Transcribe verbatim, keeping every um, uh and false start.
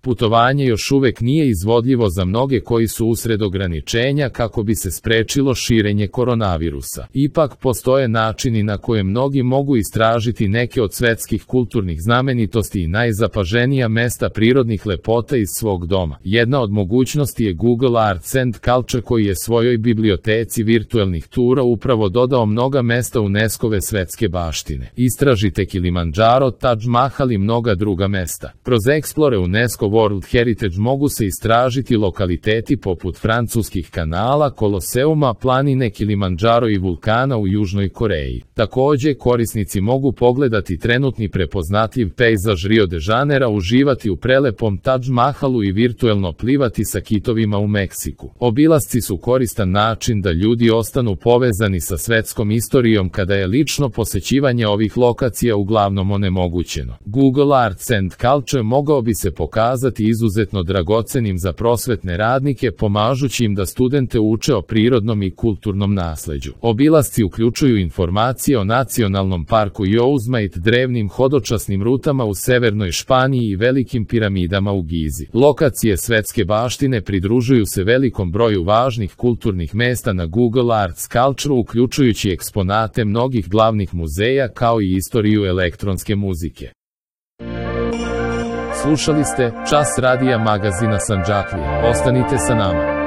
Putovanje još uvek nije izvodljivo za mnoge koji su usred ograničenja kako bi se sprečilo širenje koronavirusa. Ipak postoje načini na koje mnogi mogu istražiti neke od svetskih kulturnih znamenitosti i najzapaženija mesta prirodnih lepota iz svog doma. Jedna od mogućnosti je Google Arts and Culture koji je svojoj biblioteci virtuelnih tura upravo dodao mnoga mesta UNESCO-ve svetske baštine. Istražite Kilimandžaro, Taj Mahal i mnoga druga mesta. Kroz Explore UNESCO World Heritage mogu se istražiti lokaliteti poput francuskih kanala, Koloseuma, planine Kilimandžaro i vulkana u Južnoj Koreji. Takođe, korisnici mogu pogledati trenutni prepoznatljiv pejzaž Rio de Janeira, uživati u prelepom Taj Mahalu i virtuelno plivati sa kitovima u Meksiku. Obilasci su koristan način da ljudi ostanu povezani sa svetskom istorijom kada je lično posećivanje ovih lokacija uglavnom onemogućeno. Google Arts and Culture mogao bi se pokazati izuzetno dragocenim za prosvetne radnike, pomažući im da studente uče o prirodnom i kulturnom nasleđu. Obilasci uključuju informacije o nacionalnom parku Yosemite, drevnim hodočasnim rutama u severnoj Španiji i velikim piramidama u Gizi. Lokacije svetske baštine pridružuju se velikom broju važnih kulturnih mesta na Google Arts Culture, uključujući eksponate mnogih glavnih muzeja kao i istoriju elektronske muzike. Slušali ste Čas radija magazina Sandžaklija. Ostanite sa nama.